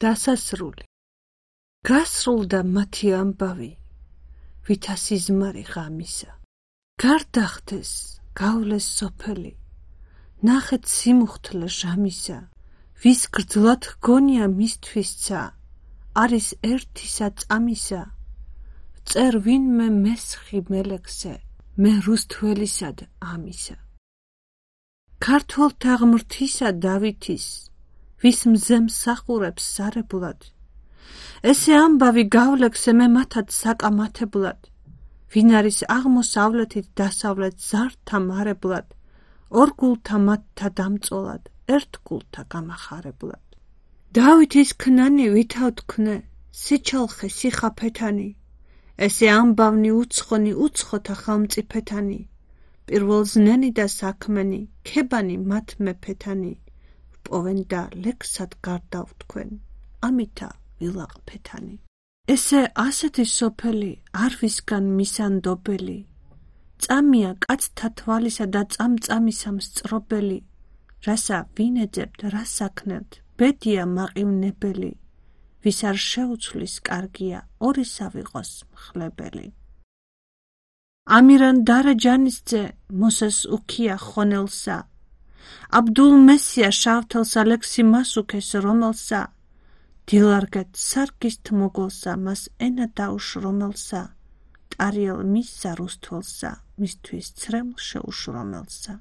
დასასრული. გასრულდა მათი ამბავი, ვითა სიზმარი ღამისა. გარდახდეს, გავლეს სოფელი, ნახეთ სიმუხთლე ჟამისა. ვის გრძლად გონია მისთვისცა, არის ერთისა წამისა. წერ ვინმე მესხი მელექსე, მე რუსთველისად ამისა. ქართველთა ღმრთისა დავითის, ვის მზემ სახურებს სარებლად. ესე ამბავი გავლექსე მე მათად საკამათებლად. ვინ არის აღმოსავლეთით დასავლეთ ზართა მარებლად, ორ გულთა მათთა დამწოლად, ერთ გულთა გამახარებლად. დავითის ქნანი ვითავ თქნე, სიჩალხე სიხაფეთანი, ესე ამბავნი უცხონი უცხოთა ხელმწიფეთანი, პირველ ზნენი და საქმენი, ქებანი მათ მეფეთანი, ვპოვენ და ლექსად გარდავ თქვენ, ამითა ვილაყფეთანი. ესე ასეთი სოფელი არ ვისგან მისანდობელი, წამია კაცთა თვალისა და წამწამისა მსწრობელი, რასა ვინეძებთ, რა საქნელთ, ბედია მაყივნებელი, ვის არ შეუცვლის კარგია, ორისა ვიყოს მხლებელი. ამირან დარა ჯანისძე მოსეს უქია ხონელსა, აბდულ მესია შავთელსა ლექსი მას უქეს რომელსა, დილარგეთ სარგისთ მოგოლსა მას ენა დაუშრომელსა, ტარიელ მისსა რუსთველსა, მისთვის ცრემლ შეუშრომელსა.